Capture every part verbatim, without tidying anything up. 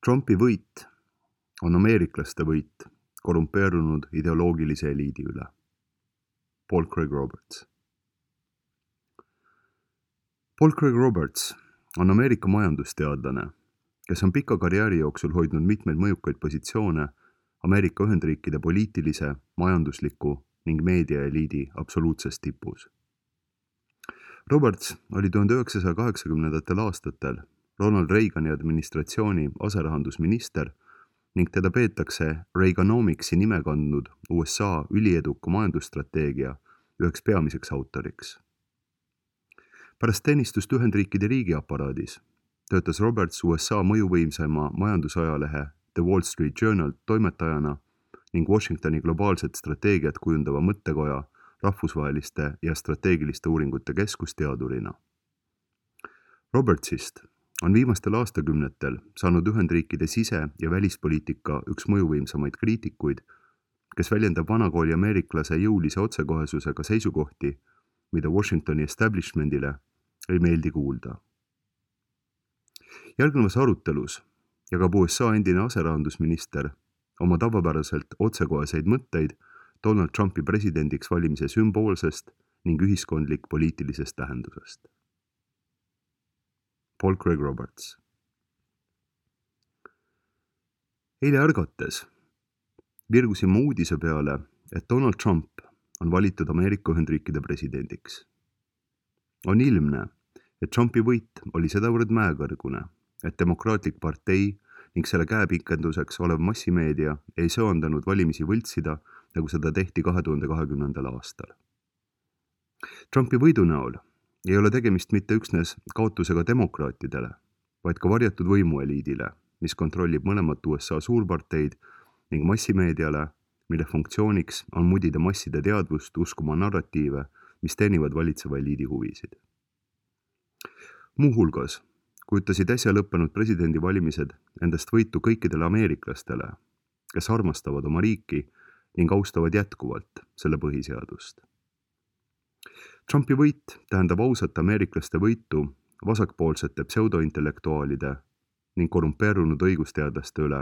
Trumpi võit on ameeriklaste võit korrumpeerunud ideoloogilise eliidi üle. Paul Craig Roberts. Paul Craig Roberts on Ameerika majandusteadlane, kes on pika karjääri jooksul hoidnud mitmeid mõjukaid positsioone Ameerika Ühendriikide poliitilise, majandusliku ning meediaeliidi absoluutses tipus. Roberts oli tuhande üheksasaja kaheksakümnendatel aastatel Ronald Reagani administratsiooni aserahandusminister ning teda peetakse Reaganomicsi nime kandnud U S A ülieduka majandusstrateegia üheks peamiseks autoriks. Pärast teenistust Ühendriikide riigiaparaadis töötas Roberts U S A mõjuvõimsaima majandusajalehe The Wall Street Journal toimetajana ning Washingtoni globaalset strateegiat kujundava mõttekoja rahvusvaheliste ja strateegiliste uuringute keskusteadurina. Robertsist on viimastel aastakümnetel saanud Ühendriikide sise- ja välispoliitika üks mõjuvõimsamaid kriitikuid, kes väljendab vanakooli ameeriklase jõulise otsekohesusega seisukohti, mida Washingtoni establishmentile ei meeldi kuulda. Järgnevas arutelus jagab U S A endine aserahandusminister oma tavapäraselt otsekoheseid mõtteid Donald Trumpi presidendiks valimise sümboolsest ning ühiskondlik poliitilisest tähendusest. Paul Craig Roberts. Eile ärgates virgusin ma uudise peale, et Donald Trump on valitud Ameerika Ühendriikide presidendiks. On ilmne, et Trumpi võit oli sedavõrd mäekõrgune, et demokraatlik partei ning selle käepikenduseks olev massimeedia ei söandanud valimisi võltsida, nagu seda tehti kahe tuhande kahekümnendal aastal. Trumpi võidu näol ei ole tegemist mitte üksnes kaotusega demokraatidele, vaid ka varjatud võimueliidile, mis kontrollib mõlemat U S A suurparteid ning massimeediale, mille funktsiooniks on mudida masside teadvust uskuma narratiive, mis teenivad valitseva eliidi huvisid. Muuhulgas kujutasid äsja lõppenud presidendivalimised endast võitu kõikidele ameeriklastele, kes armastavad oma riiki ning austavad jätkuvalt selle põhiseadust. Trumpi võit tähendab ausat ameeriklaste võitu vasakpoolsete pseudointellektuaalide ning korrumpeerunud õigusteadlaste üle,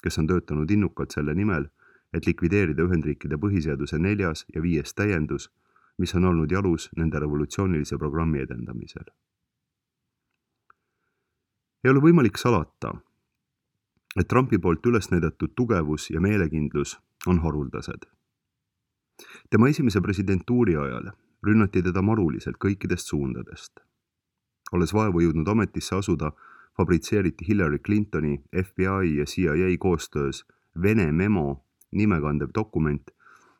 kes on töötanud innukalt selle nimel, et likvideerida Ühendriikide põhiseaduse neljas ja viies täiendus, mis on olnud jalus nende revolutsioonilise programmi edendamisel. Ei ole võimalik salata, et Trumpi poolt üles näidatud tugevus ja meelekindlus on haruldased. Tema esimese presidentuuri ajal rünnati teda maruliselt kõikidest suundadest. Olles vaevu jõudnud ametisse asuda, fabritseeriti Hillary Clintoni, F B I ja C I A koostöös Vene memo nimekandev dokument,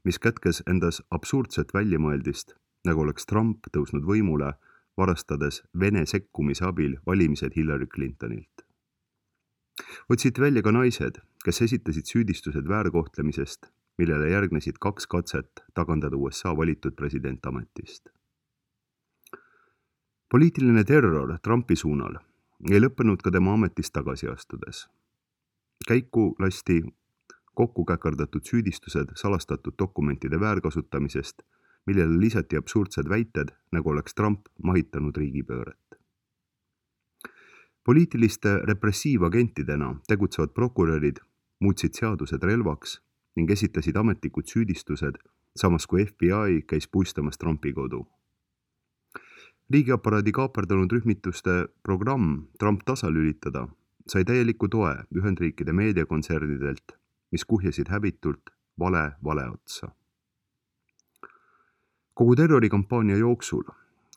mis kätkes endas absurdset väljamõeldist, nagu oleks Trump tõusnud võimule, varastades Vene sekkumise abil valimised Hillary Clintonilt. Otsiti välja ka naised, kes esitasid süüdistused väärkohtlemisest, millele järgnesid kaks katset tagandada U S A valitud president ametist. Poliitiline terror Trumpi suunal ei lõppenud ka tema ametist tagasi astudes. Käiku lasti kokku käkerdatud süüdistused salastatud dokumentide väärkasutamisest, millele lisati absurdsed väited, nagu oleks Trump mahitanud riigipööret. Poliitiliste repressiivagentidena tegutsevad prokurörid muutsid seadused relvaks ning esitasid ametlikud süüdistused, samas kui F B I käis puistamas Trumpi kodu. Riigiaparaadi kaaperdanud rühmituste programm Trump tasalülitada sai täieliku toe Ühendriikide meediakontsernidelt, mis kuhjasid häbitult vale vale otsa. Kogu terrorikampaania jooksul,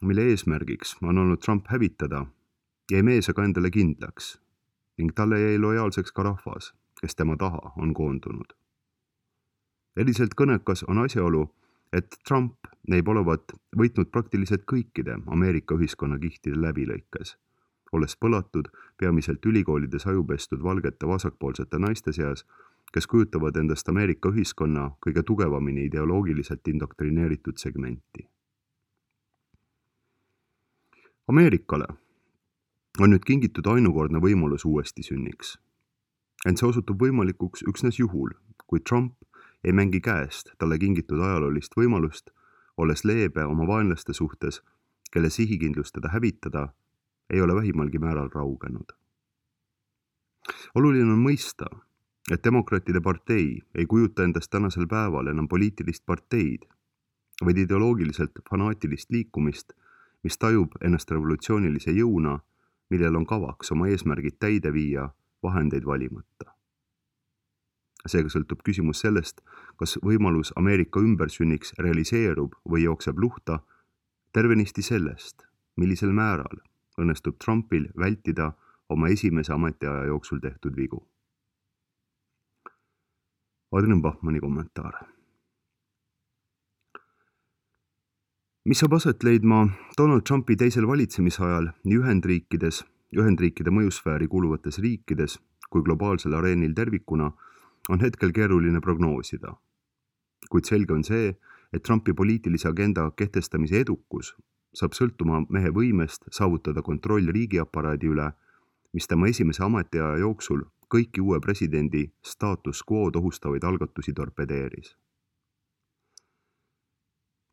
mille eesmärgiks on olnud Trump hävitada, jäi mees aga endale kindlaks ning talle jäi lojaalseks ka rahvas, kes tema taha on koondunud. Eriselt kõnekas on asjaolu, et Trump näib olevat võitnud praktiliselt kõikide Ameerika ühiskonna kihtide läbilõikes, olles põlatud peamiselt ülikoolides ajupestud valgete vasakpoolsete naiste seas, kes kujutavad endast Ameerika ühiskonna kõige tugevamini ideoloogiliselt indoktrineeritud segmenti. Ameerikale on nüüd kingitud ainukordne võimalus uuesti sünniks. Ent see osutub võimalikuks üksnes juhul, kui Trump ei mängi käest talle kingitud ajaloolist võimalust, olles leebe oma vaenlaste suhtes, kelle sihikindlus teda hävitada ei ole vähimalgi määral raugenud. oluline on mõista, et demokraatide partei ei kujuta endast tänasel päeval enam poliitilist parteid, vaid ideoloogiliselt fanaatilist liikumist, mis tajub ennast revolutsioonilise jõuna, millel on kavaks oma eesmärgid täide viia vahendeid valimata. Seega sõltub küsimus sellest, kas võimalus Ameerika ümbersünniks realiseerub või jookseb luhta, tervenisti sellest, millisel määral õnnestub Trumpil vältida oma esimese ametiaja jooksul tehtud vigu. Adrian Bachmanni kommentaar. Mis saab aset leidma Donald Trumpi teisel valitsemisajal nii Ühendriikides, Ühendriikide mõjusfääri kuuluvates riikides kui globaalsel areenil tervikuna, on hetkel keeruline prognoosida. Kuid selge on see, et Trumpi poliitilise agenda kehtestamise edukus saab sõltuma mehe võimest saavutada kontroll riigiaparaadi üle, mis tema esimese ametiaja jooksul kõiki uue presidendi status quo'd ohustavaid algatusi torpedeeris.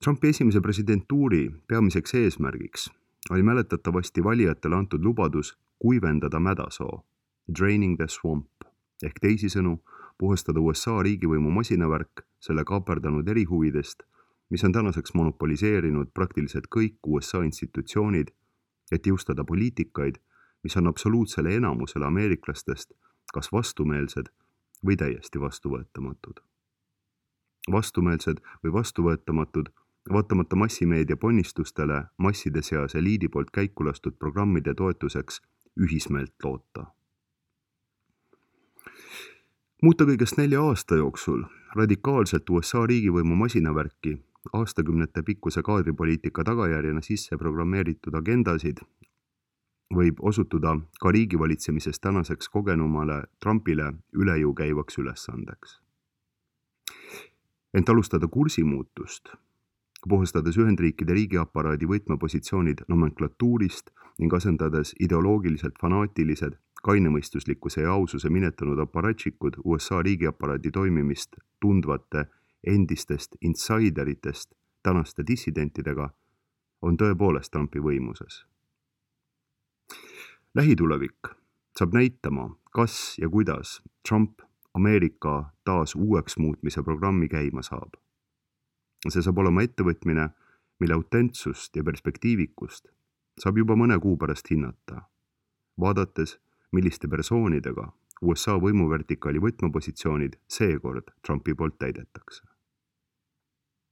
Trumpi esimese presidentuuri peamiseks eesmärgiks oli mäletatavasti valijatele antud lubadus kuivendada mädasoo, draining the swamp, ehk teisisõnu puhastada U S A riigivõimu masinavärk selle kaaperdanud erihuvidest, mis on tänaseks monopoliseerinud praktiliselt kõik U S A institutsioonid, et jõustada poliitikaid, mis on absoluutsele enamusele ameeriklastest kas vastumeelsed või täiesti vastuvõetamatud. Vastumeelsed või vastuvõetamatud, vaatamata massimeedia ponnistustele masside seas eliidi poolt käiku lastud programmide toetuseks ühismeelt loota. Muuta kõigest nelja aasta jooksul radikaalselt U S A riigivõimu masinavärki aastakümnete pikkuse kaadripoliitika tagajärjena sisse programmeeritud agendasid võib osutuda ka riigivalitsemises tänaseks kogenumale Trumpile üle jõu käivaks ülesandeks. Ent alustada kursimuutust, puhastades Ühendriikide riigiaparaadi võtmepositsioonid nomenklatuurist ning asendades ideoloogiliselt fanaatilised, kainemõistuslikkuse ja aususe minetanud aparatšikud U S A riigiaparaadi toimimist tundvate endistest insideritest tänaste dissidentidega, on tõepoolest Trumpi võimuses. Lähitulevik saab näitama, kas ja kuidas Trump Ameerika taas uueks muutmise programmi käima saab. See saab olema ettevõtmine, mille autentsust ja perspektiivikust saab juba mõne kuu pärast hinnata, vaadates, milliste persoonidega U S A võimuvertikaali võtmepositsioonid seekord Trumpi poolt täidetakse.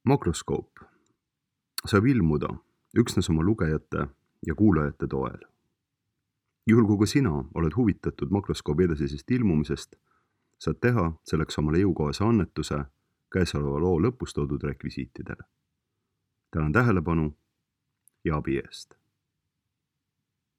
Makroskoop saab ilmuda üksnes oma lugejate ja kuulajate toel. Juhul kui sina oled huvitatud makroskoobi edasisest ilmumisest, saad teha selleks omale jõukohase annetuse käesoleva loo lõpus toodud rekvisiitidele. Tänan tähelepanu ja abi eest.